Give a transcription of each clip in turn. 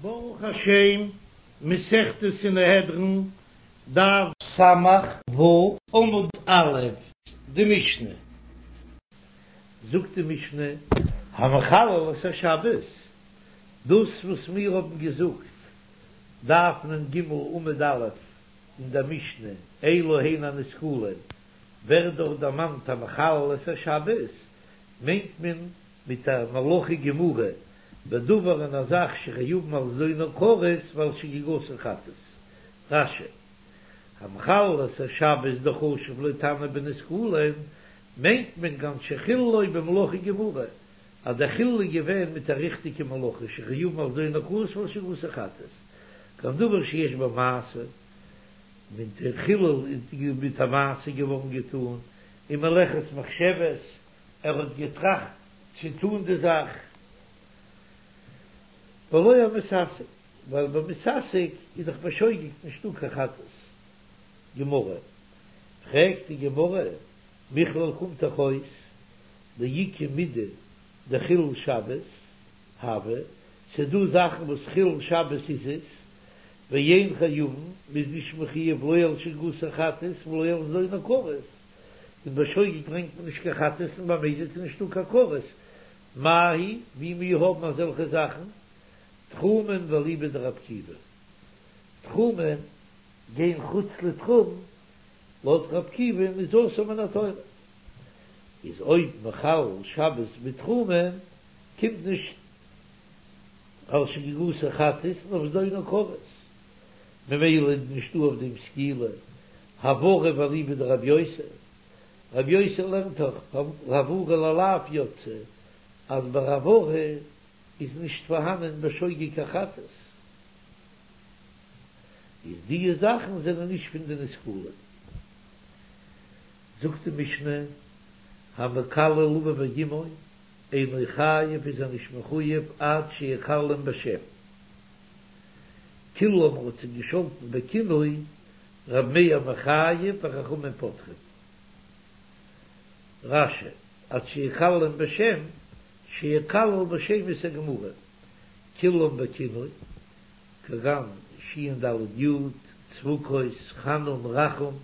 ברוך השם, מסכת סנהדרין, דף ס"ו, עמוד א', די משנה. זאגט די משנה, המחלל את השבת, דאס וואס מיר האבן געזאגט, דף נ"ג עמוד א', אין דער משנה, אלו הן הנסקלין, ווערט דארט דערמאנט המחלל את השבת, מיינט מען מיט א מלאכה גמורה, בדבר אין א זאך שחייבין על זדונו כרת ועל שגגתו חטאת. רש"י, המחלל את השבת דחשיב ליה תנא בנסקלין, מיינט מען כגון שחיללו במלאכה גמורה, אז דער חילול איז געווען מיט א ריכטיגע מלאכה שחייבין על זדונו כרת ועל שגגתו חטאת, כגון דבר שיש בו מעשה, מיט די חילול איז מיט א מעשה געווארן געטאן, און מלאכת מחשבת, ער האט געטראכט צו טאן די זאך, ולא המתעסק, ווייל ביי מתעסק איז דאך בשוגג נישטא קיין חטאת. גמרא, פרעגט די גמרא, מכלל קומט דאך אויס דאיכא מידי דחילול שבת הוי, ס'דא זאכן וואס חילול שבת איז עס, ואין חייבין, מ'איז נישט מחויב לא על שגגתו חטאת ולא על זדונו כרת, און בשוגג ברענגט מען נישט קיין חטאת און במזיד איז נישטא קיין כרת, מאי היא, ווי מיר האבן אזעלכע זאכן, תחומין ואליבא דרבי עקיבא, תחומין גיין חוץ לתחום, לויט רבי עקיבא איז אסור מן התורה, איז אויב מחלל שבת בתחומין קומט נישט על שגגתו חטאת און אויף זדונו כרת, ממילא איז נישטא אויף דעם סקילה, העברה ואליבא דרבי יוסי, רבי יוסי לערנט דאך העברה ללאו יצאה אז ביי העברה איז נישט פארהאנען בשוגג קיין חטאת, איז דיע זאכן זענען נישט פון די נסקלין. זאגט די משנה, המקלל אביו ואמו אינו חייב איז ער נישט מחויב עד שיקללם בשם. קיללם האט זיי געשאלטן בכינוי ר' מאיר מחייב וחכמים פוטרין. רש"י, עד שיקללם בשם, שיקלל בשמות הגמורים, קיללם בכינוי, כגון שין ד' יוד, צבקות, חנון, רחום,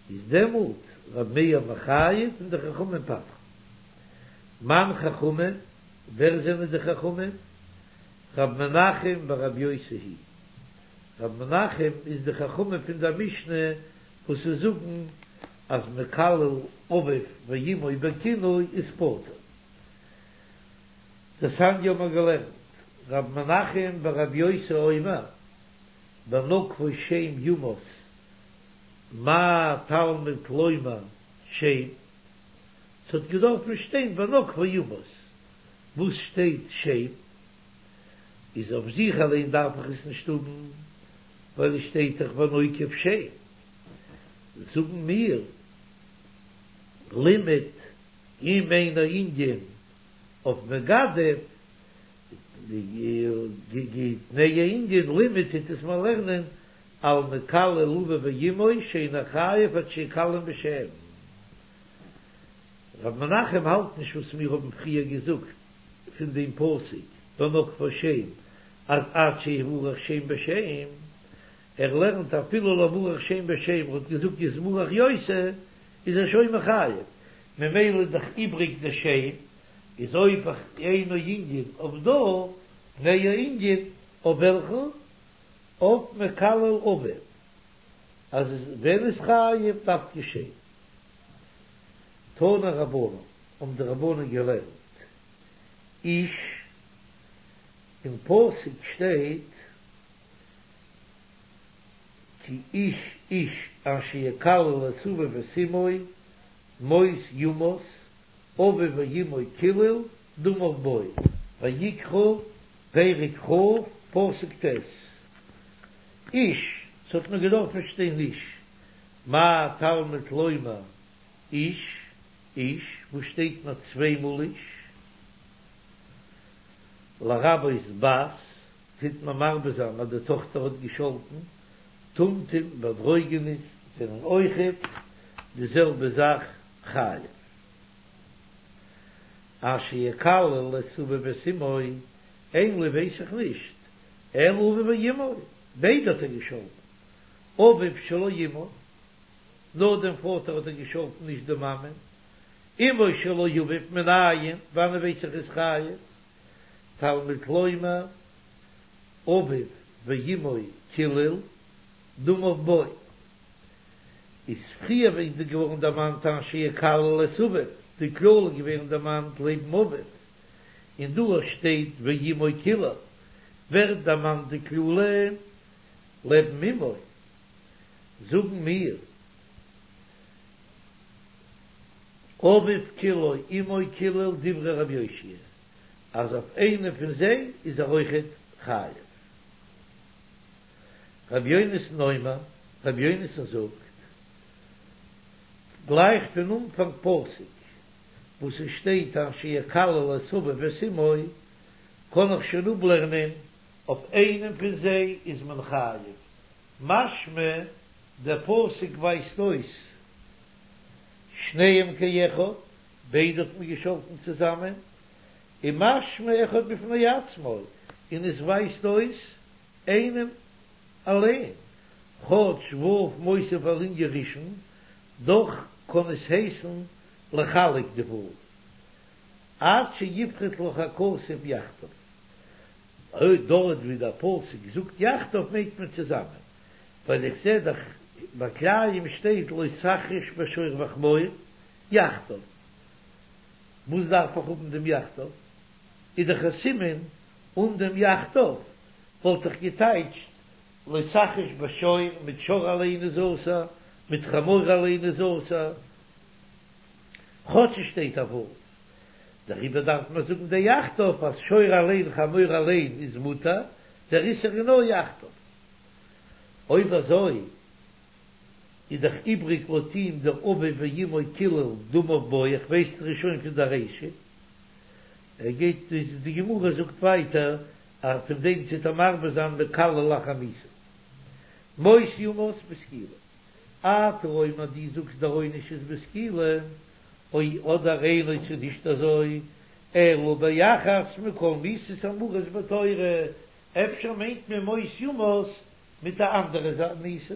איז דעמאלט ר' מאיר מחייב און די חכמים פטר'ן. מאן חכמים? ווער זענען די חכמים? ר' מנחם ור' יוסי היא ר' מנחם איז די חכמים פון דער משנה וואס זיי זאגן אז מקלל אביו ואמו בכינוי איז פטור. דתניא האבן מיר געלערנט, ר' מנחם בר' יוסי אומר, בנוקבו שם יומת מה תלמוד לומר שם, ס'האט געדארפן שטיין בנוקבו יומת, וואס שטייט שם איז אויף זיך אליין דארף איך עס נישט האבן, ווייל עס שטייט דאך והנוקב שם, זאגן מיר לימד אם אינו ענין אויף מגדף, תנהו ענין לימד טוט עס מיר לערנען על מקלל אביו ואמו שאינו חייב עד שיקללם בשם. ר' מנחם האלט נישט וואס מיר האבן פריער געזאגט פון דעם פסוק בנוקבו שם אז עד שיברך שם בשם, ער לערנט אפילו לא ברך שם בשם ער האט געזאגט יתברך יוסי איז ער שוין מחייב, ממילא איז דאך איבריג די שם, איז אויב אינו ענין אויף דא, תנהו ענין אויף וועלכן? אויף מקלל אביו אז ווען איז חייב דווקא שם. תנו רבנן, האבן די רבנן געלערנט, איש, אין פסוק שטייט כי איש איש אשר יקלל את אביו ואת אמו מות יומת, אביו ואמו קילל דמיו בו. ויקרא, פרק כ', פסוק ט', איש, ס'האט מיר געדארפן שטיין איש, מה תלמוד לומר איש, איש, וואס שטייט נאר צוויי מאל איש? לרבות בת, טוט מען מרבה זיין אז די טאכטער האט געשאלטן, טומטום ואנדרוגינוס זענען אויכעט די זעלבע זאך חייב. אשר יקלל את אביו ואת אמו. אין לי ווייס איך נישט, אלא אביו ואמו, ביידע האט ער געשאלטן, אביו שלא אמו, נאר דעם פאטער האט ער געשאלטן נישט די מאמע, אמו שלא אביו מנין, וואנען ווייס איך איז חייב, תלמוד לומר אביו ואמו קילל דמיו בו, איז פריער ווען איז געווארן דערמאנט אשר יקלל את אביו, די קללה איז געווערן דערמאנט לעבן אביו, און דא שטייט ואמו קילל ווערט דערמאנט די קללה לעבן אמו, זאגן מיר אביו קיללו אמו קילל דברי רבי יאשיה אז אויף איינע פון זיי איז ער אויכעט חייב. רבי יונתן אומר, רבי יונתן זאגט, גלייך פון אנפאנג פסוק וואס עס שטייט אשר יקלל את אביו ואת אמו, קען איך שוין אפלערנען אויף איינעם פון זיי איז מען חייב, משמע דער פסוק ווייזט אויס שניהם כאחד, ביידע האט מען געשאלטן צוזאמען, און משמע אחד בפני עצמו, און עס ווייזט אויס איינעם אליין, כאטש ו' מוסיף על ענין ראשון, דאך קען עס הייסן לחלק די ו', עד שיפחת לך הכתוב יחדיו. אויב דארט ווי דער פסוק זאגט יחדיו מיינט מען צוזאמען, ווייל איך זע דאך ביי כלאים שטייט לא תחרש בשור וחמור יחדיו, וואס דארף איך האבן דעם יחדיו? איז דאך א סימן אן דעם יחדיו וואלט איך געטייטשט לא תחרש בשור מיט שור אליין איז אסור, מיט חמור אליין איז אסור, כאטש עס שטייט א ו'. דעריבער דארף מען זאגן די יחדיו אז שור אליין חמור אליין איז מותר, דער איסור איז נאר יחדיו. אויב אזוי איז דאך איבריג לויט אים דער אביו ואמו קילל דמיו בו, איך ווייס דאך שוין פון דער רישא. ער גייט די גמרא זאגט ווייטער אז פון דעם טוט ער מרבה זיין מקלל לאחר מיתה. מות יומת בסקילה. אתה אומר דו זאגסט דער עונש איז בסקילה, או אדער אינו ס'איז נישט אזוי, אלא באחת מכל מיתות האמורות בתורה, אפשר מיינט מען מות יומת מיט א אנדערע מיתה.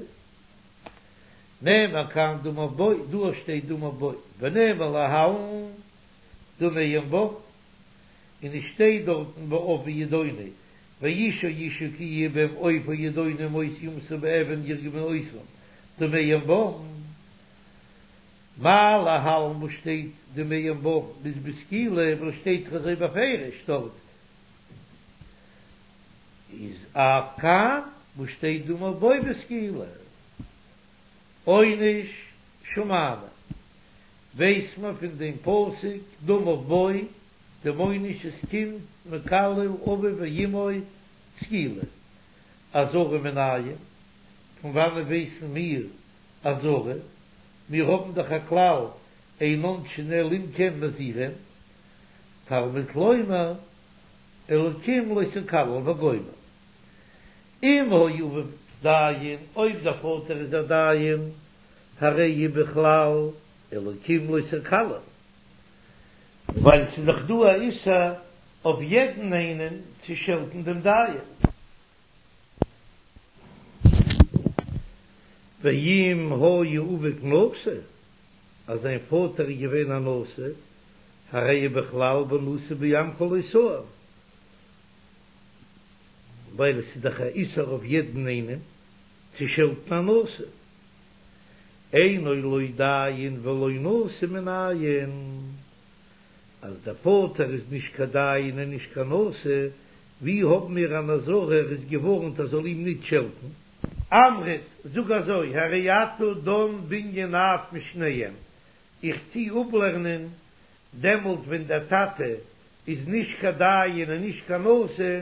נאמר כאן דמיו בו, דא שטייט דמיו בו, ונאמר להלן דמיהם בם, און עס שטייט דארטן בעוף ידונו, ואיש או אשה כי יהיה בהם עוף או ידונו מות יומתו באבן ירגמו אותם דמיהם בם. מה להלן וואס שטייט דמיהם בם איז בסקילה וואס שטייט דאך אזוי בפירוש דארט איז אף כאן וואס שטייט דמיו בו בסקילה עונש שמענו ווייסט מען פון דעם פסוק דמיו בו דעם עונש איז קינד מקלל אביו ואמו סקילה אזהרה מנין פון וואנען ווייסן מיר אזהרה מיר האבן דאך א כלל אין עונשין אלא אם כן מזהירין, תלמוד לומר אלקים לא תקלל וגומר. אם היה אביו דיין, אויב דער פאטער איז א דיין, הרי הוא בכלל אלקים לא תקלל, ווייל ס'איז דאך דא א איסור אויף יעדן איינעם צו שעלטן דעם דיין. ואם היה אביו נשיא, אז זיין פאטער איז געווען א נשיא, הרי הוא בכלל ונשיא בעמך לא תאור, ווייל עס איז דאך א איסור אויף יעדן איינעם צו שעלטן א נשיא, אינו לא דיין ולא נשיא מנין. אז דער פאטער איז נישט קיין דיין און נישט קיין נשיא, ווי האבן מיר אן אזהרה ער איז געווארנט ער זאל אים ניט שעלטן? אמרת, זאג אזוי, הרי אתה דן בנין אב משניהם, איך טו אפלערנען דעמאלט ווען דער טאטע איז נישט קיין דיין און נישט קיין נשיא,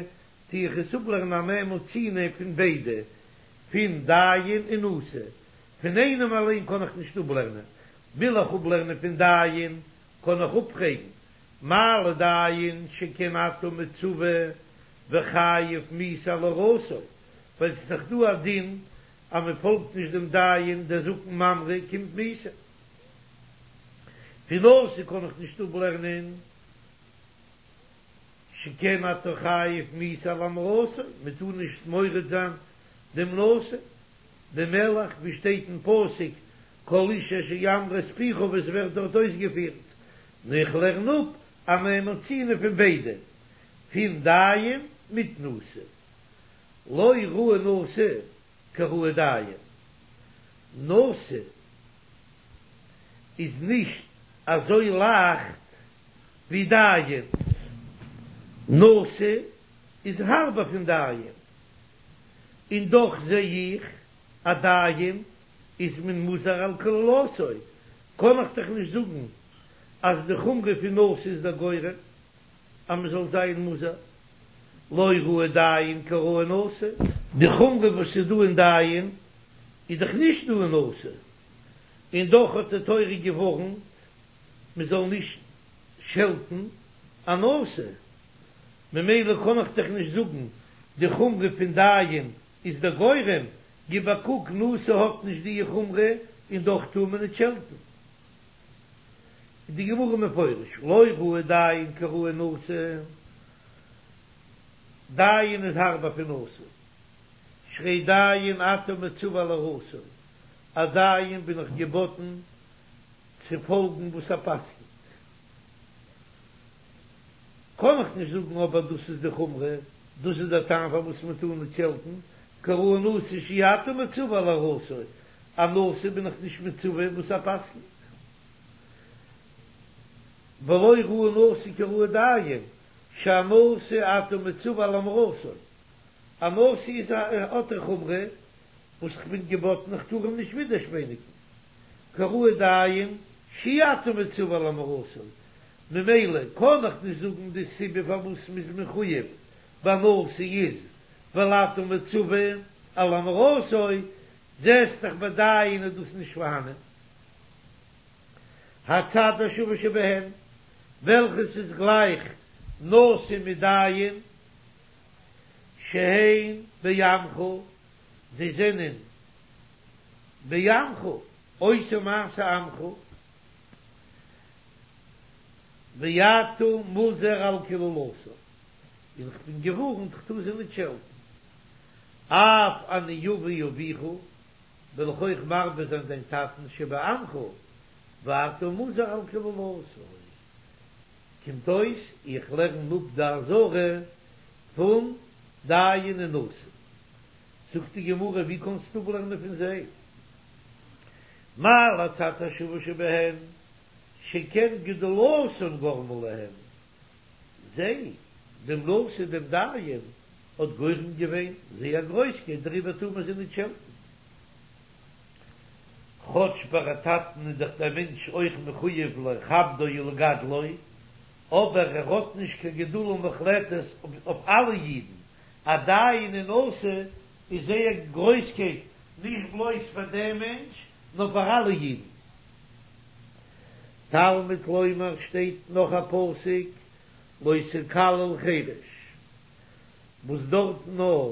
טו איך עס אפלערנען א מה מצינו פון ביידע, פון דיין און נשיא, פון איינעם אליין קען איך נישט אפלערנען, וויל איך אפלערנען פון דיין, קען איך אפפרעגן, מה לדיין שכן אתה מצווה וחייב מיתה על הוראתו, ווייל ס'איז דאך דא א דין אז מען פאלגט נישט דעם דיין, דער זקן ממרא קומט מיתה. פון נשיא קען איך נישט אפלערנען. שכן אתה חייב מיתה על המרתו, מען טאר נישט מורד זיין דעם נשיא, דעם מלך, ווי שטייט אין פסוק כל איש אשר ימרה את פיך וואס ווערט דארט אויסגעפירט, נו איך לערן אפ א מה מצינו פון ביידע, פון דיין מיט נשיא, לא ראי נשיא כראי דיין, נשיא איז נישט אזוי לייכט ווי דיין, נשיא איז הארבער פון דיין, און דאך זע איך אז דיין איז מען מוזהר על קללתו, קען איך דאך נישט זאגן אז די חומרא פון נשיא איז דער גורם אז מען זאל זיין מוזהר, לא ראי דיין כראי נשיא. די חומרא וואס איז דא אין דיין איז דאך נישט דא אין נשיא, און דאך האט די תורה געווארנט מען זאל נישט שעלטן א נשיא, ממילא קען איך דאך נישט זאגן די חומרא פון דיין איז דער גורם, גיב א קוק נשיא האט נישט די חומרא און דאך טאר מען נישט שעלטן. איז די גמרא מפרש לא ראי דיין כראי נשיא, דיין איז הארבער פון נשיא, שהרי דיין אתה מצווה על הוראתו, א דיין בין איך געבאטן צו פאלגן וואס ער פסק'נט, קען איך נישט זאגן אבער דאס איז די חומרא, דאס איז דער טעם פארוואס מען טאר נישט שעלטן, כראי נשיא שאי אתה מצווה על הוראתו, א נשיא בין איך נישט מצווה וואס ער פסק'נט. ולא ראי נשיא כראי דיין, שהנשיא אתה מצווה על המרתו, א נשיא איז א האט א חומרא וואס כ'בין געבאטן איך טאר אים נישט ווידערשפעניגן, כראי דיין שאי אתה מצווה על המרתו, ממילא קען איך נישט זאגן די סיבה פארוואס מ'איז מחויב ביי נשיא איז ווייל אתה מצווה על המרתו, זעסט דאך ביי דיין איז דאס נישט פארהאנען. הצד השווה שבהן, וועלכעס איז גלייך נשיא מיט דיין, שהן בעמך, זיי זענען בעמך, עושה מעשה עמך, ואתה מוזהר על קללתו, און כ'בין געווארנט כ'טאר זיי נישט שעלטן, אף אני אביא אביך, וועל איך אויך מרבה זיין דיין טאטן שבעמך, ואתה מוזהר על קללתו. קומט אויס איך לערן אפ די אזהרה פון דיין און נשיא. זאגט די גמרא ווי קענסטו אפלערנען פון זיי? מה להצד השווה שבהן שכן גדולתן גרמה להם, זיי, דעם נשיא דעם דיין, האט גורם געווען זייער גרויסקייט דעריבער טאר מען זיי נישט שעלטן. כאטש ביי א טאטן איז דאך דער מענטש אויך מחויב לכבדו ולגדלו, אבער ער האט נישט קיין גדולה מוחלטת אויף אלע אידן, א דיין און נשיא איז זייער גרויסקייט נישט בלויז פאר דעם מענטש נאר פאר אלע אידן. תלמוד לומר שטייט נאך א פסוק לא תקלל חרש, וואס דארט נאר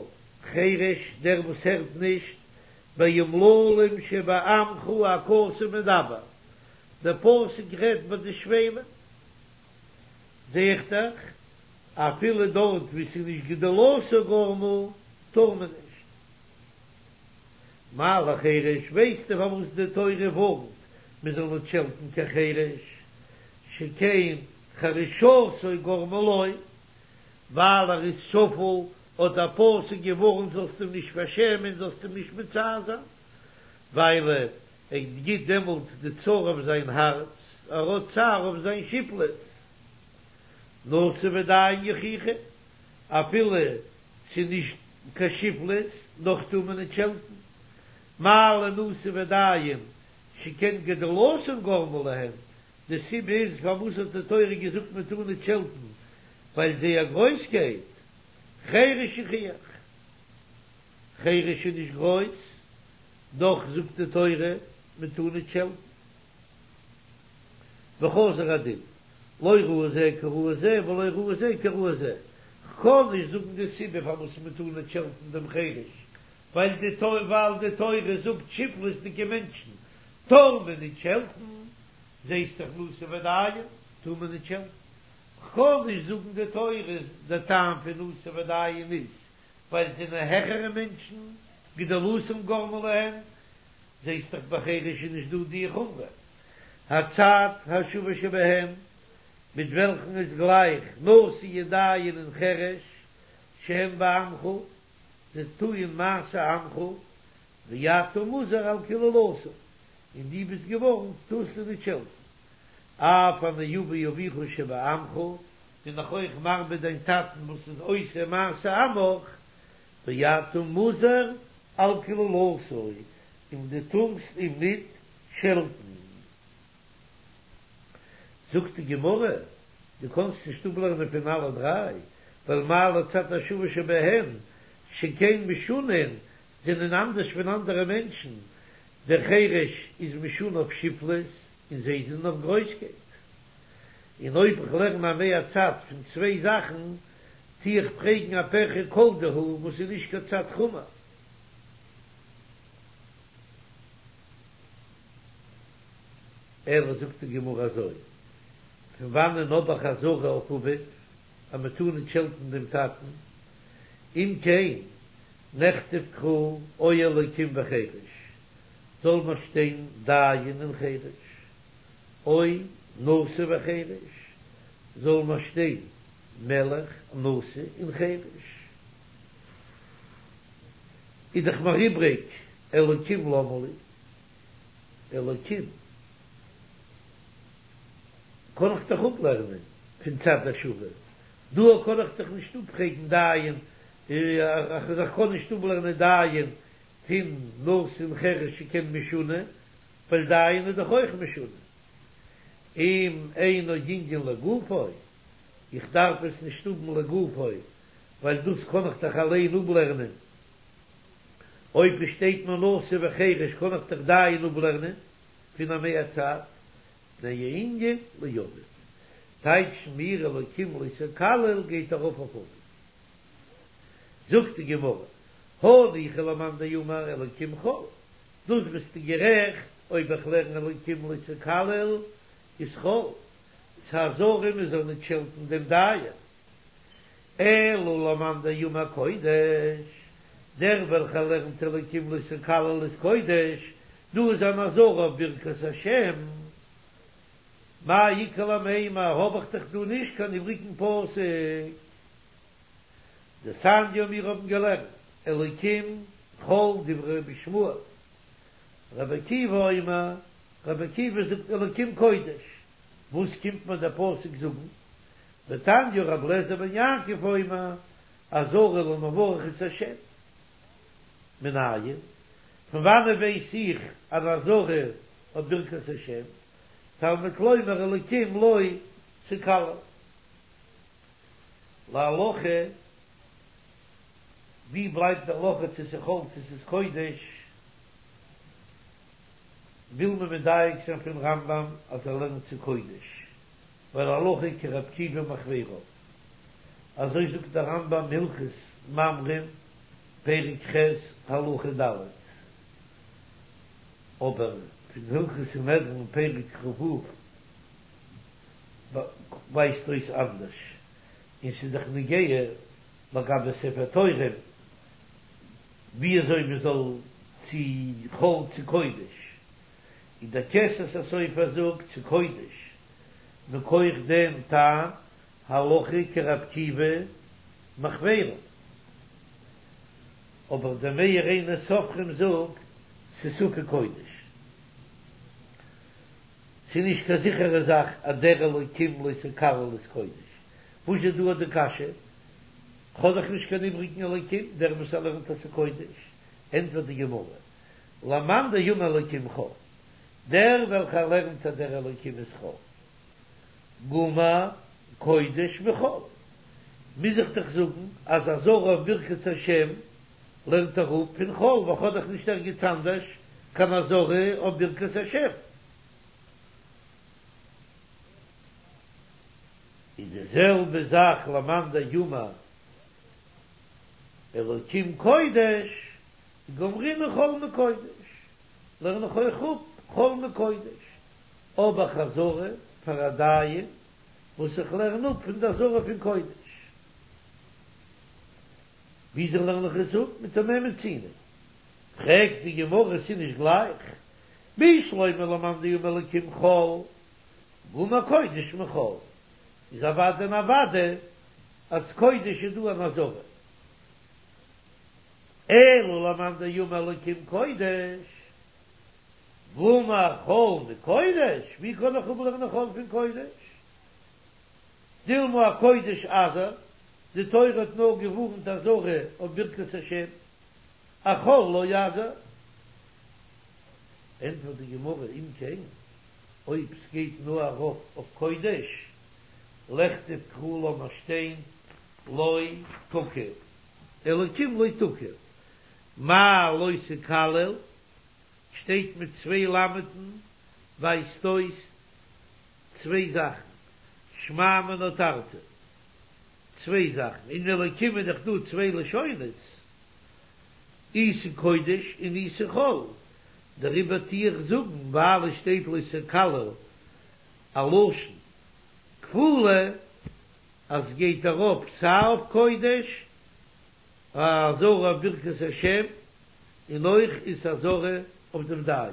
חרש דער וואס הערט נישט, באומללים שבעמך הכתוב מדבר, דער פסוק רעדט ביי די שפלים, זע איך דאך אפילו דארט וואו ס'איז נישט גדולתו גרמה טאר מען נישט. מה לחרש, ווייסטו פארוואס די תורה ווארנט מען זאל נישט שעלטן קיין חרש, שכן חרשתו גרמה לו, ווייל ער איז שפל, האט דער פסוק געווארנט זאלסט אים נישט פארשעמען, זאלסט אים נישט מצער זיין, ווייל ער גיט דעמאלט די צער אויף זיין הארץ, ער האט צער אויף זיין שפלות. נשיא ודיין יוכיחו, אפילו ס'איז נישט קיין שפלות, דאך טאר מען נישט שעלטן. מה לנשיא ודיין שכן גדולתן גרמה להם, די סיבה איז פארוואס האט די תורה געזאגט מען טאר נישט שעלטן, ווייל זייער גרויסקייט, חרש יוכיח, חרש איז נישט גרויס, דאך זאגט די תורה מען טאר נישט שעלטן. וחזר הדין, לא ראי זה כראי זה ולא ראי זה כראי זה, כ'קען נישט זאגן די סיבה פארוואס מען טאר נישט שעלטן דעם חרש, ווייל די ווייל די תורה זאגט שפלות'דיגע מענטשן טאר מען נישט שעלטן, זעסט דאך נשיא ודיין טאר מען נישט שעלטן. כ'קען נישט זאגן די תורה די טעם פון נשיא ודיין איז ווייל זיי זענען העכערע מענטשן, גדולתם גרמה להם, זעסט דאך ביי חרש איז נישט דא די חומרא. הצד השווה שבהם, מיט וועלכן איז גלייך נשיא דיין און חרש, שהם בעמך, זיי טוען מעשה עמך, ואתה מוזהר על קללתם, און דו ביסט געווארנט טארסט זיי נישט שעלטן. אף אני אביא אביך שבעמך, בין איך אויך מרבה דיין טאטן וואס איז עושה מעשה עמך, ואתה מוזהר על קללתו, און דו טארסט אים ניט שעלטן. זאגט די גמרא, דו קאנסט נישט אפלערנען פון אלע דריי, ווייל מה לצד השווה שבהן, שכן משונין, זענען אנדערש פון אנדערע מענטשן, דער חרש איז משונה אויף שפלות און זיי זענען אויף גרויסקייט. און אויב איך לערן א מהצד פון צוויי זאכן, טו איך פרעגן א פירכא כל דהו וואס איז נישט קיין צד חמור. אלא זאגט די גמרא אזוי, פון וואנען האב איך אזהרה אויף אביו אז מען טאר נישט שעלטן דעם טאטן, אם כן נכתוב קרא או אלוקים וחרש, זאל מען שטיין דיין און חרש, או נשיא וחרש, זאל מען שטיין מלך, נשיא און חרש. איז דאך מיר איבריג אלוקים למה לי, אלוקים קען איך דאך אפלערנען פון צד השווה, דא קען איך דאך נישט אפפרעגן דיין, איך קען נישט אפלערנען דיין פון נשיא און חרש שכן משונה, ווייל דיין איז דאך אויך משונה. אם אינו ענין לגופו, איך דארף עס נישט האבן לגופו, ווייל דאס קען איך דאך אליין אפלערנען, אויב עס שטייט נאר נשיא וחרש קען איך דאך דיין אפלערנען פון א מהצד, מפני הענין לאביו. טייטשן מיר אלוקים לא תקלל גייט ארויף אויף אביו. זאגט די גמרא, הניחא למאן דאמר אלוקים חול, דאס ביסטו גערעכט, אויב איך לערן אלוקים לא תקלל איז חול, ס'איז אזהרה מען זאל נישט שעלטן דעם דיין. אלא למאן דאמר קודש, דער וועלכער לערנט אלוקים לא תקלל איז קודש, דא איז אן אזהרה אויף ברכת השם. מאי איכא למימר, האב איך דאך דא נישט קיין איבריגן פסוק. דתניא מיר האבן געלערנט אלוקים חול דברי רבי ישמעאל, רבי עקיבא אומר, רבי עקיבא זאגט אלוקים קודש, וואס קומט מיר דער פסוק זאגן? ותניא רבי אליעזר בן יעקב אומר, אזהרה למברך את השם. מנין? פון וואנעט ווייס איך אן אזהרה אויף ברכת השם? תלמוד לומר אלוקים לא תקלל. להלכה, ווי בלייבט די הלכה צו ס'איז חול צו ס'איז קודש? וויל מען מדייק זיין פון רמב"ם אז ער לערנט ס'איז קודש, ווייל הלכה כר' עקיבא מחבריו. אזוי זאגט דער רמב"ם הלכות ממרים פרק ח' הלכה ד'. אבער פון הלכות סנהדרין פרק כ"ו ווייזט אויס אנדערש, און ס'איז דאך נוגע לגבי ספר תורה ווי אזוי מען זאל צו חול צו קודש, און דער כסת הסופר זאגט ס'איז קודש מכח דעם טעם הלכה כר' עקיבא מחבריו, אבער דער מאיר עיני סופרים זאגט ס'איז ספק קודש. ס'איז נישט קיין זיכערע זאך אז דער אלוקים לא תקלל איז קודש. וואס איז דא אט די קשיא? כ'האב דאך נישט קיין איבריגן אלוקים, דער וואס ער לערנט אז ס'איז קודש. ענטפערט די גמרא, למאן דאמר אלוקים חול, דער וועלכער לערנט אז דער אלוקים איז חול, גמר קודש מחול, מוז איך דאך זאגן אז אזהרה אויף ברכת השם לערנט ער אפ פון חול, ווייל כ'האב דאך נישט ערגעץ אנדערש קיין אזהרה אויף ברכת השם. איז די זעלבע זאך למאן דאמר אלוקים קודש, גמרינן חול מקודש, לערן איך אויך אפ חול מקודש, אבער חזרה פאר א דיין. וואס איך לערן אפ פון די אזהרה פון קודש. וויאזוי לערן איך עס אפ? מטמא מצינו. פרעגט די גמרא ס'איז נישט גלייך, בשלמא למאן דאמר אלקים חול, גמר קודש מחול, איז אוודאי און אוודאי אז קודש איז דא אן אזהרה. אלא למאן דאמר אלקים קודש, גמר חול מקודש, ווי קען איך אפלערנען חול פון קודש? דילמא אקודש אזהר, די תורה האט נאר געווארנט אזהרה אויף ברכת השם, אחול לא אזהר. ענטפערט די גמרא, אם כן, אויב ס'גייט נאר ארויף אויף קודש, לכתוב קרא לאמיר שטיין לא תקיא, אלקים לא תקיא, מאי לא תקלל, שטייט מיט צוויי למד'ן, ווייזט אויס צוויי זאכן, שמע מינה תרתי, צוויי זאכן, אין אלקים איז דאך דא צוויי לשונות, אי ס'קודש און אי ס'חול, דעריבער טו איך זאגן ווייל עס שטייט לא תקלל א לשון כפולה אז ס'גייט ארויף סיי אויף קודש א אזהרה אויף ברכת השם און אויך איז אזהרה אויף דעם דיין.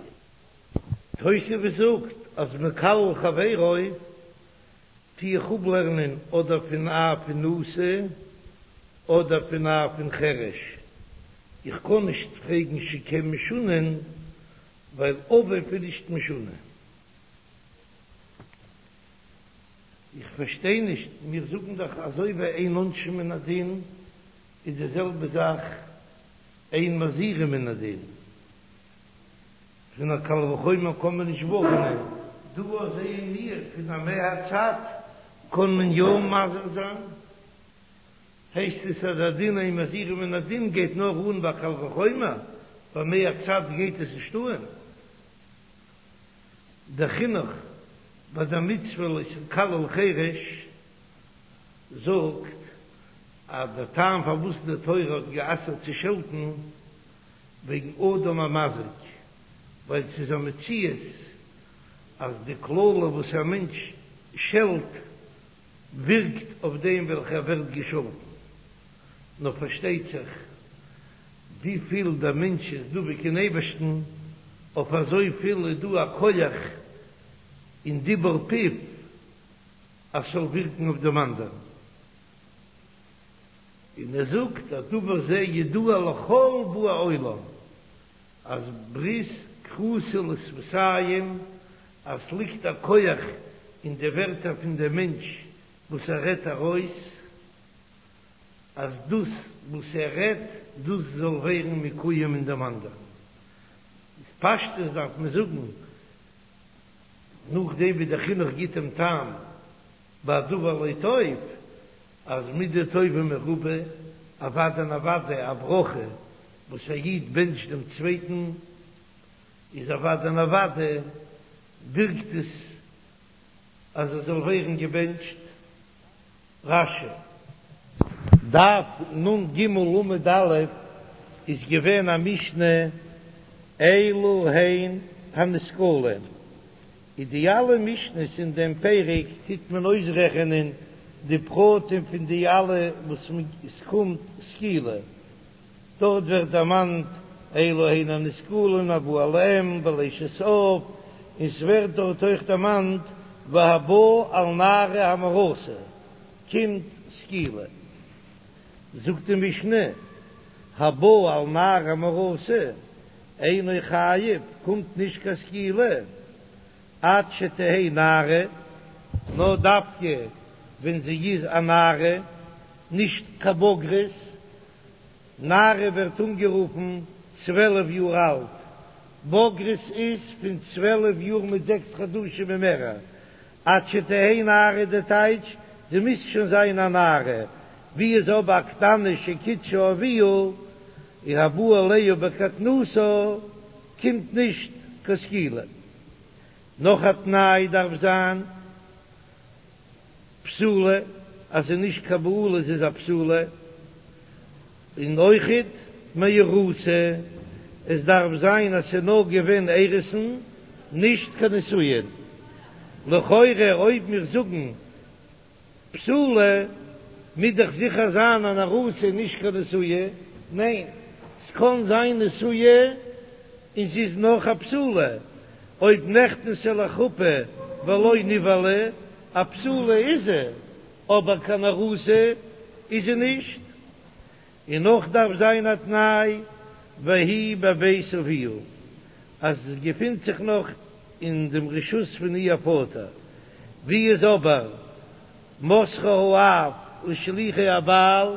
תוספות זאגט אז מקלל חברו טו איך אפלערנען אדער פון אב פון נשיא אדער פון אב פון חרש, איך קען נישט פרעגן שכן משונין ווייל אביו איז נישט משונה. איך פארשטיי נישט, מיר זאגן דאך אזוי ווי אין עונשין מן הדין איז די זעלבע זאך אין מזהירין מן הדין. פון א קל וחומר קען מען נישט ווארענען, דא זעען מיר פון א מהצד קען מען יא מזהיר זיין, הייסט עס אז א דין אין מזהירין מן הדין גייט נאר אן ביי קל וחומר, ביי מהצד גייט עס נישט אן. דער חינוך ביי דער מצוה לא תקלל חרש זאגט אז דער טעם פארוואס די תורה האט גע'אסר'ט צו שעלטן וועגן אדם המזיק, ווייל ס'איז א מציאות אז די קללה וואס א מענטש שעלט ווירקט אויף דעם וועלכער ווערט געשאלטן. נאר פארשטייט זיך וויפיל דער מענטש איז דבוק אין אייבערשטן, אויף אזויפיל איז דא א כח אין דיבור פיו אז ס'זאל ווירקן אויף דעם אנדערן. און ער זאגט אז דבר זה ידוע לכל באי עולם אז ברית כרותה לשפתיים, אז ס'ליגט א כח אין די ווערטער פון דעם מענטש וואס ער רעדט ארויס, אז דאס וואס ער רעדט דאס זאל ווערן מקוים אין דעם אנדערן. איז פשטות דארף מען זאגן נאכדעם ווי דער חינוך גיט דעם טעם ביי דבר לא טוב, אז מידה טובה מרובה, אוודאי און אוודאי א ברכה וואס א איד בענטשט דעם צווייטן, איז אוודאי און אוודאי ווירקט עס אז ער זאל ווערן געבענטשט. רש"י. דף נ"ג עמוד א' איז געווען א משנה אלו הן הנסקלים. אין די אלע משניות אין דעם פרק טוט מען אויסרעכענען די פרטים פון די אלע וואס עס קומט סקילה, דארט ווערט דערמאנט אלו הן הנסקלין הבא על אם ועל אשת אב, און ס'ווערט דארט אויך דערמאנט והבא על נערה המאורסה קומט סקילה. זאגט די משנה הבא על נערה המאורסה אינו חייב, קומט נישט קיין סקילה עד שתהא נערה, נאר דווקא ווען זי איז א נערה, נישט קיין בוגרת, נערה ווערט אנגערופן 12 יאר אלט, בוגרת איז פון 12 יאר מיט זעקס חדשים און מערער, עד שתהא נערה די טייטש, זי מוז שוין זיין א נערה, ווי איז אבער א קטנה שקידשה אביה, און הבא עליה בקטנותה, קומט נישט קיין סקילה. נאך א תנאי דארף זיין בתולה, אז זי איז נישט קיין בעולה זי איז א בתולה, און אויכעט מאורסה, עס דארף זיין אז ס'איז נאר געווען אירוסין נישט קיין נישואין. לכאורה אויב מיר זאגן. בתולה מוז דאך זיכער זיין אן ארוסה נישט קיין נשואה, ניין, ס'קען זיין נשואה און זי איז נאך א בתולה, אויב נכנסה לחופה ולא נבעלה, א בתולה איז זי, אבער קיין ארוסה איז זי נישט. און נאך דארף זיין א תנאי והיא בבית אביה, אז זי געפינט זיך נאך אין דעם רשות פון איר פאטער, ווי איז אבער מסרה האב לשלוחי הבעל,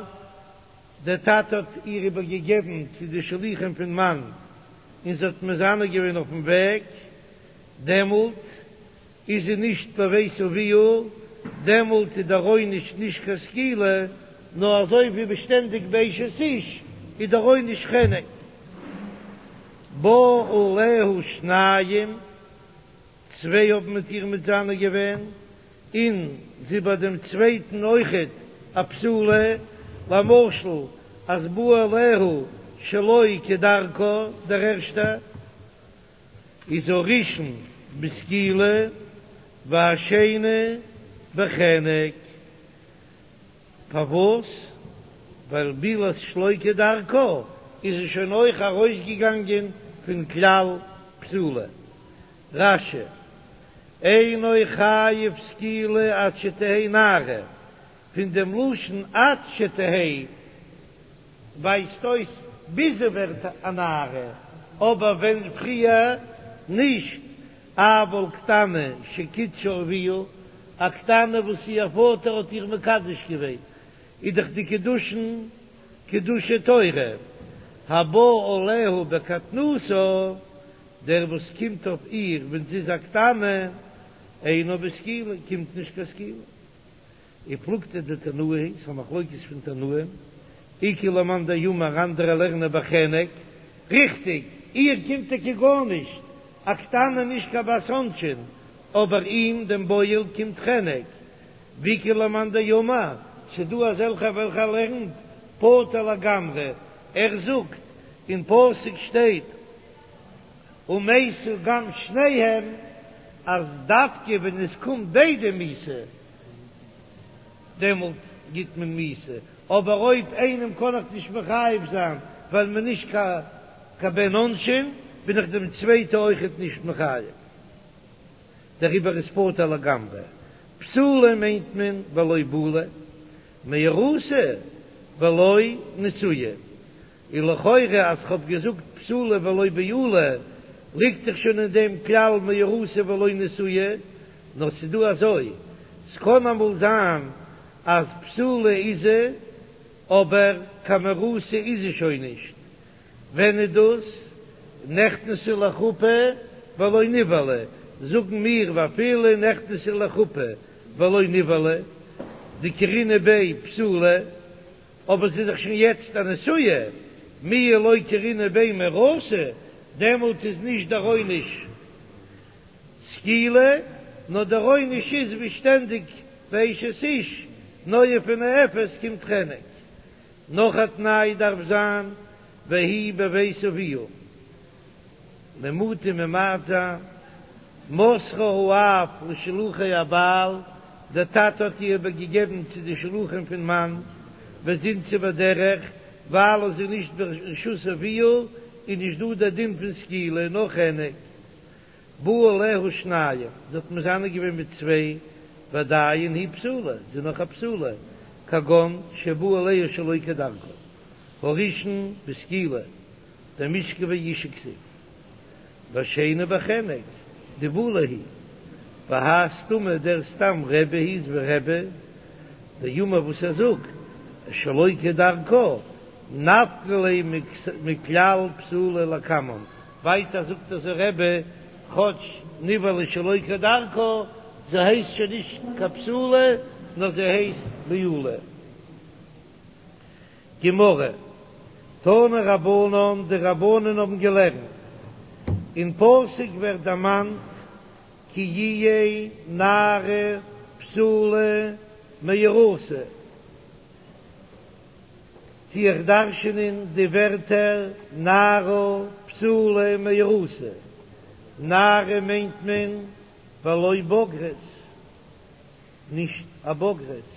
דער טאטע האט איר איבער געגעבן צו די שלוחים פון מאן, און זי האט מזנה געווען אויפן וועג, דעמאלט איז זי נישט בבית אביה, דעמאלט איז דער עונש נישט קיין סקילה, נאר אזוי ווי שטענדיג ביי אשת איש איז דער עונש חנק. באו עליה שניים, צוויי האבן מיט איר מזנה געווען, און זי ביי דעם צווייטן אויכעט א בתולה, למשל אז בא עליה שלא כדרכה דער ערשטער. איז הראשון בסקילה והשני בחנק. פארוואס? ווייל בעילת שלא כדרכה איז עס שוין אויך ארויסגעגאנגען פון כלל בתולה. רש"י, אינו חייב סקילה עד שתהא נערה, פון דעם לשון עד שתהא ווייזט אויס ביז זי ווערט א נערה, אבער ווען פריער נישט, אבל קטנה שקידשה אביה, א קטנה וואס איר פאטער האט איר מקדש געווען, איז דאך די קידושין קידושי תורה, הבא עליה בקטנותה, דער וואס קומט אויף איר ווען זי איז א קטנה, אינו בסקילה, קומט נישט קיין סקילה. ופלוגתא דתנאי היא, ס'איז א מחלוקת פון תנאים, איכא למאן דאמר אנדערע לערנען בחנק, ריכטיג, איר קומט טאקע גארנישט, א קטנה נישט קיין בת עונשין, אבער אים דעם בועל קומט חנק, ואיכא למאן דאמר, ס'דא אזעלכע וועלכע לערנט פטור לגמרי, ער זאגט, אין פסוק שטייט ומתו גם שניהם, אז דווקא ווען עס קומט ביידע מיתה, דעמאלט גיט מען מיתה, אבער אויב איינעם קען איך נישט מחייב זיין ווייל מען נישט קיין בן עונשין, בין איך דעם צווייטע אויכעט נישט מחייב, דעריבער איז פטור לגמרי. בתולה מיינט מען ולא בעולה, מאורסה ולא נשואה. און לכאורה אז כ'האב געזאגט בתולה ולא בעולה ליגט דאך שוין אין דעם כלל מאורסה ולא נשואה, נאר ס'איז דא אזוי, ס'קען אמאל זיין אז בתולה איז זי אבער קיין מאורסה איז זי שוין נישט, ווען איז דאס? נכנסה לחופה ולא נבעלה, זאגן מיר ואפילו נכנסה לחופה ולא נבעלה, דקרינא ביה בתולה. אבער זי איז דאך שוין יעצט א נשואה, מיהא לא קרינא ביה מאורסה, דעמאלט איז נישט דער עונש סקילה, נאר דער עונש איז ווי שטענדיג ביי אשת איש, נואף ונואפת קומט חנק. נאך א תנאי דארף זיין והיא בבית אביה. למעוטי ממעט זיין, מסרה האב לשלוחי הבעל, דער טאטע האט איר איבערגעגעבן צו די שלוחים פון מאן, וזינתה בדרך, ווייל זי איז נישט ברשות אביה, איז נישט דא דער דין פון סקילה נאר חנק. באו עליה שניים, זי האט מזנה געווען מיט צוויי, ועדיין היא בתולה, זי איז נאך א בתולה, כגון שבא עליה שלא כדרכה, הראשון בסקילה. דמשכבי אשה כתיב והשני בחנק דבעולה היא והאי סתמא דער סתם רבי היא איז ווי רבי דאמר וואס ער זאגט שלא כדרכה נפקא ליה מכלל בתולה לקמן ווייטער זאגט אזוי רבי כאטש נבעלה שלא כדרכה זי הייסט שוין נישט קיין בתולה נאר זי הייסט בעולה. גמרא, תנו רבנן, די רבנן האבן געלערנט, אין פסוק ווערט דערמאנט כי יהיה נערה בתולה מאורסה, טו איך דרש'ענען די ווערטער נערה בתולה מאורסה, נערה מיינט מען ולא בוגרת, נישט א בוגרת.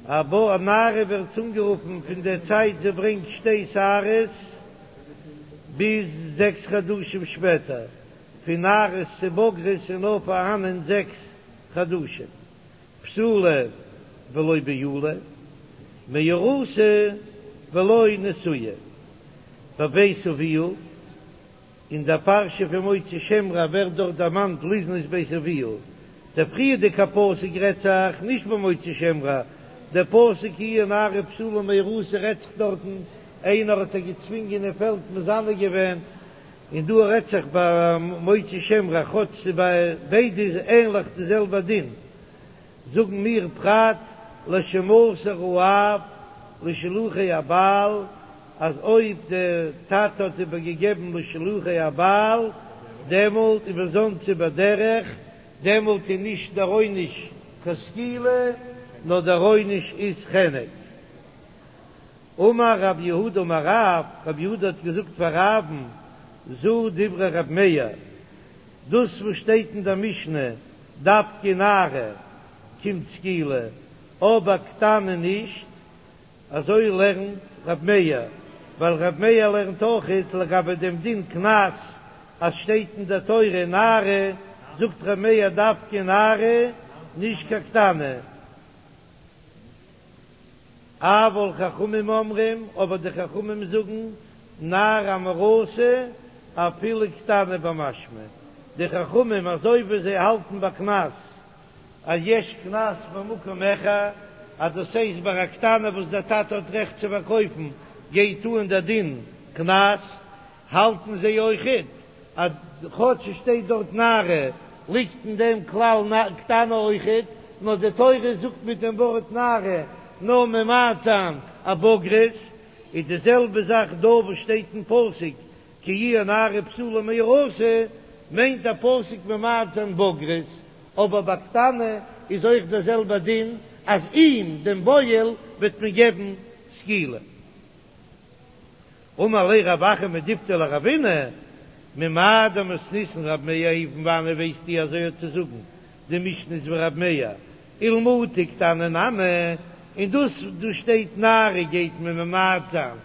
א נערה ווערט אנגערופן פון דער צייט זי ברענגט שתי שערות ביז זעקס חדשים שפעטער, פון נערות צו בגרות איז נאר פארהאנען זעקס חדשים, בתולה ולא בעולה, מאורסה ולא נשואה, בבית אביה. אין דער פרשה פון מוציא שם רע ווערט דארט דערמאנט לזנות בית אביה, דער פריערדיגע פסוק רעדט זיך נישט ביי מוציא שם רע, דער פסוק כי יהיה נערה בתולה מאורסה רעדט זיך דארטן איינער האט איר געצווינגען אין פעלד מזנה געווען, און דא רעדט זיך ביי מוציא שם רע, כאטש ס'איז ביי ביידע איז ענליך די זעלבע דין. זאגן מיר פרט לשמסר האב לשלוחי הבעל, אז אויב דער טאטע האט איבערגעגעבן לשלוחי הבעל, דעמאלט ובזנתה בדרך, דעמאלט איז נישט דער עונש קיין סקילה, נאר דער עונש איז חנק. אמר רב יהודה אמר רב, רב יהודה האט געזאגט פאר רב'ן, זו דברי רב מאיר, דאס וואס שטייט אין דער משנה דווקא נערה קומט סקילה, אבער קטנה נישט, אזוי לערנט ר' מאיר, ווייל ר' מאיר לערנט אויכעט לגבי דעם דין קנס, אז שטייט אין דער תורה נערה, זאגט ר' מאיר דווקא נערה, נישט קיין קטנה. אבל חכמים אומרים, אבער די חכמים זאגן, נערה המאורסה אפילו קטנה במשמע, די חכמים אזוי ווי זיי האלטן ביי קנס אז יש קנס במקום אחד, אז דאס הייסט ביי א קטנה וואס דער טאטע האט רעכט צו פארקויפן גייט אן דער דין קנס, האלטן זיי אויכעט אז כאטש עס שטייט דארט נערה ליגט אין דעם כלל קטנה אויכעט, נאר די תורה זאגט מיט דעם ווארט נערה נאר ממעט זיין א בוגרת, איז די זעלבע זאך דא וואס שטייט אין פסוק כי יהיה נערה בתולה מאורסה, מיינט דער פסוק ממעט זיין בוגרת, אבער ביי קטנה איז אויך דער זעלבער דין אז אים דעם בועל וועט מען געבן סקילה. אמר ליה רב אחא מדיפתי לרבינא, ממאי דמתניתין רב מאיר היא, פון וואנעט ווייסטו אזוי האט צו זאגן די משנה איז ווי רב מאיר, ולמעוטי קטנה נמי, און דאס דא שטייט נערה גייט מען ממעט זיין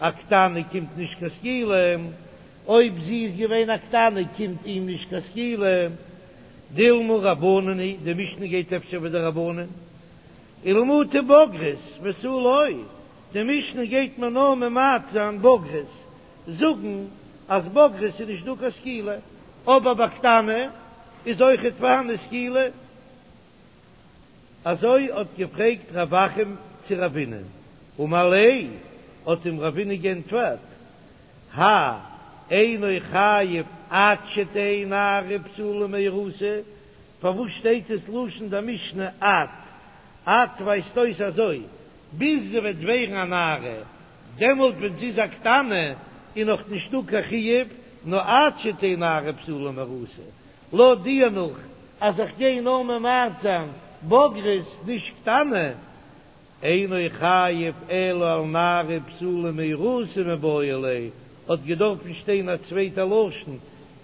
א קטנה קומט נישט קיין סקילה, אויב זי איז געווען א קטנה קומט אים נישט קיין סקילה, דילמא רבנן היא, די משנה גייט אפשר ווי די רבנן, ולמעוטי בוגרת ותו לא. די משנה גייט מען נאר ממעט זיין בוגרת, זאגן אז בוגרת איז נישט דא קיין סקילה, אבער ביי קטנה איז אויכעט פארהאן סקילה. אזוי האט געפרעגט רב אחא צו רבינא, אמר ליה, האט אים רבינא גענטפערט, האי אינו חייב עד שתהא נערה בתולה מאורסה, פארוואס שטייט עס לשון די משנה עד? עד ווייזט אויס אזוי, ביז זי וועט ווערן א נערה, דעמאלט ווען זי איז א קטנה איז נאך נישטא קיין חיוב, נאר עד שתהא נערה בתולה מאורסה, לויט דיר נאך אז איך גיי נאר ממעט זיין בוגרת נישט קטנה, אינו חייב אלא על נערה בתולה מאורסה מיבעי ליה, האט געדארפן שטיין א צווייטע לשון,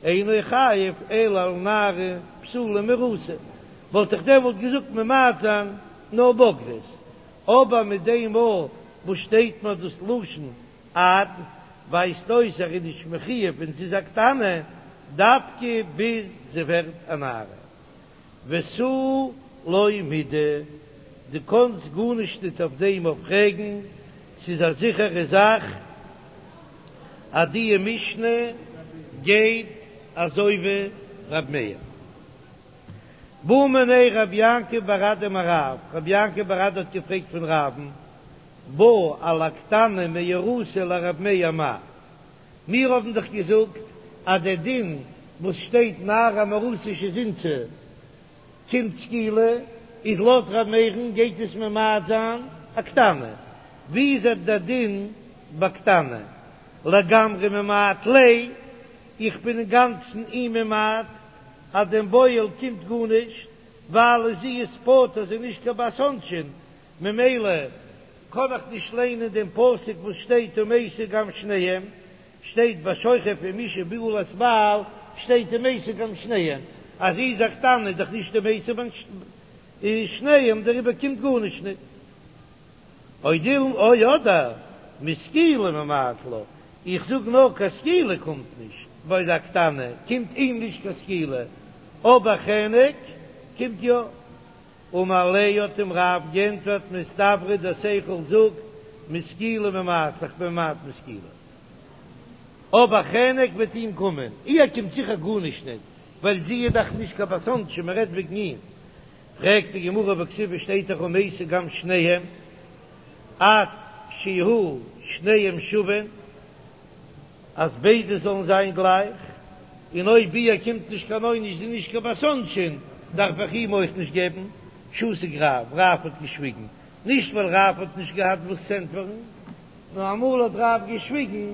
אינו חייב אלא על נערה בתולה מאורסה, וואלט איך דעמאלט געזאגט ממעט זיין נאר בוגרת, אבער מיט דעם מאל וואס שטייט מיר דאס לשון עד, ווייזט אויס ער איז נישט מחויב ווען זי איז א קטנה, דווקא ביז זי ווערט א נערה. ותו לא מידי, דו קאנסט גארנישט ניט אויף דעם אויף פרעגן, ס'איז א זיכערע זאך אז די משנה גייט אזוי ווי ר' מאיר. בעא מיניה רב יעקב בר אדא מרב, רב יעקב בר אדא האט געפרעגט פון רב'ן, בא על הקטנה מאורסה לרב מאיר מהו. מיר האבן דאך געזאגט אז דער דין וואס שטייט נערה המאורסה שזינתה קומט סקילה, איז לויט ר' מאיר'ן גייט עס ממעט זיין א קטנה. ווי איז דער דין ביי קטנה? לגמרי ממעט ליה, איך בין אינגאנצן אים ממעט אז דעם בועל קומט גארנישט, ווייל זי איז פטור, זי איז נישט קיין בת עונשין, ממילא קען איך נישט ליינען דעם פסוק וואס שטייט ומתו גם שניהם, שטייט בשוכב עם אשה בעולת בעל שטייט ומתו גם שניהם, אז זי איז א קטנה איז דאך נישט ומתו בין שניהם דעריבער קומט גארנישט ניט. או דילמא או אדער מסקילה ממעט לה, איך זאג נאר קיין סקילה קומט נישט ביי א קטנה, קומט אים נישט קיין סקילה, אבער חנק קומט יא. אמר ליה האט אים רב גענטפערט מסתברא דער שכל זאגט מסקילה ממעט איך בין ממעט מסקילה אבער חנק וועט אים קומען, איר קומט זיכער גארנישט ניט ווייל זי איז דאך נישט קיין בת עונשין מען רעדט וועגן אים, פרעגט די גמרא והכתיב שטייט דאך ומתו גם שניהם עד שיהו שניהם שווין. אז ביידע זאלן זיין גלייך, און אויב איר קומט נישט קיין עונש, זי איז נישט קיין בת עונשין, דארף איך אים אויך נישט געבן. שתק רב, רב האט געשוויגן, נישט ווייל רב האט נישט געהאט וואס צו ענטפערן, נאר אמאל האט רב געשוויגן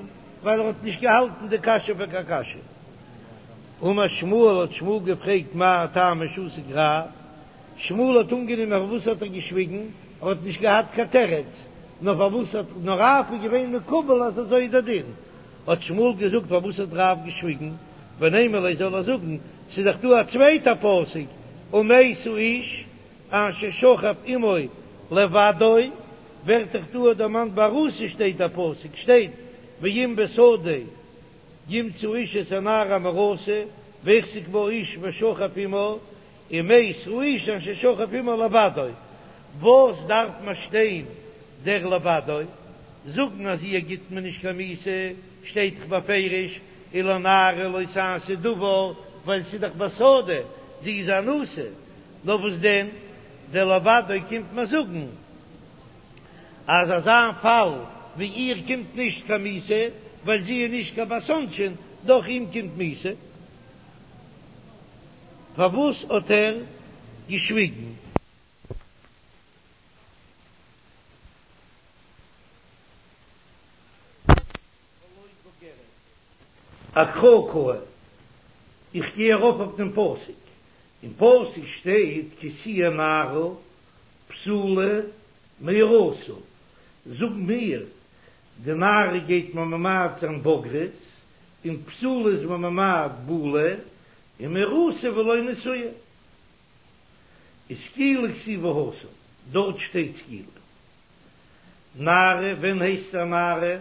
ווייל ער האט נישט געהאלטן די קשיא פאר קיין קשיא. אמר שמואל, האט שמואל געפרעגט מאי טעמא שתק רב, שמואל האט אנגענומען פארוואס האט ער געשוויגן, ער האט נישט געהאט קיין תירוץ, נאר פארוואס האט נאר רב איז געווען מקובל אז אזוי איז דער דין, האט שמואל געזאגט פארוואס האט רב געשוויגן, ונימא ליה זאל ער זאגן, ס'איז דאך דא א צווייטע פסוק ומת האיש אשר שכב עמו לבדו, ווערט דאך דא דערמאנט ביי ארוסה שטייט דער פסוק שטייט ואם בשדה ימצא איש את הנערה המאורסה והחזיק בה האיש ושכב עמה, ומת האיש אשר שכב עמה לבדו, וואס דארף מען שטיין דער לבדו? זאגן אז איר גיט מען נישט קיין מיתה שטייט דאך בפירוש ולנערה לא תעשה דבר, ווייל ס'איז דאך בשדה, זי איז אנוסה, נאר וואס דען דער לבדו קומט מען זאגן אז אזא פאל ווי איר קומט נישט קיין מיתה ווייל זי איז נישט קיין בת עונשין, דאך אים קומט מיתה. פארוואס האט ער געשוויגן? אקרא קאי, איך גיי ארויף אויף דעם פסוק, אין פסוק שטייט כי תהיה נערה בתולה מאורסה, זאג מיר, די נערה גייט מען ממעט זיין בוגרת, און בתולה איז מען ממעט בעולה, און מאורסה ולא נשואה. איז סקילה כתיבא התם, דארט שטייט סקילה. נערה, ווען הייסט זי א נערה?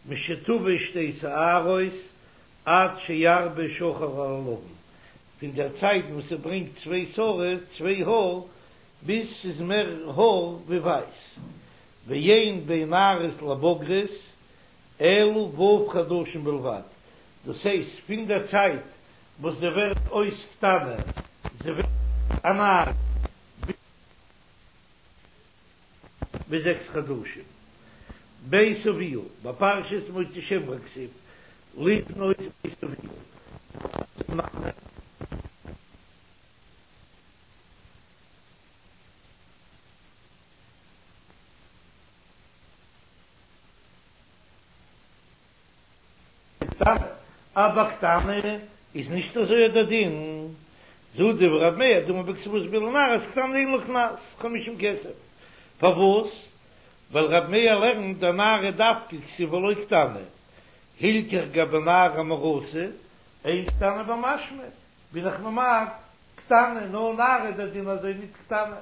משתביא שתי שערות עד שירבה שחור על הלבן, פון דער צייט וואס ס'ברענגט צוויי שערות, צוויי האר, ביז ס'איז מער האר ווי ווייס. ואין בין נערות לבוגרות אלא ו' חדשים בלבד, דאס הייסט פון דער צייט וואס זי ווערט אויס קטנה, זי ווערט א נערה, ביז זעקס חדשים. בית אביה, בפרשת מוציא שם רע כתיב, לבנות בית אביה, קטנה, אבער קטנה איז נישט אזוי דער דין, זו דברי ר' מאיר דאמר בכתובת בעולה נערות קטנה אין לה קנס חמישים כסף, פארוואס? ווייל ר' מאיר לערנט דנערה דווקא כתיב ולא קטנה, הלכך גבי נערה מאורסה, אין קטנה במשמע, בין איך ממעט קטנה, נאר נערה דער דין אזוי ניט קטנה.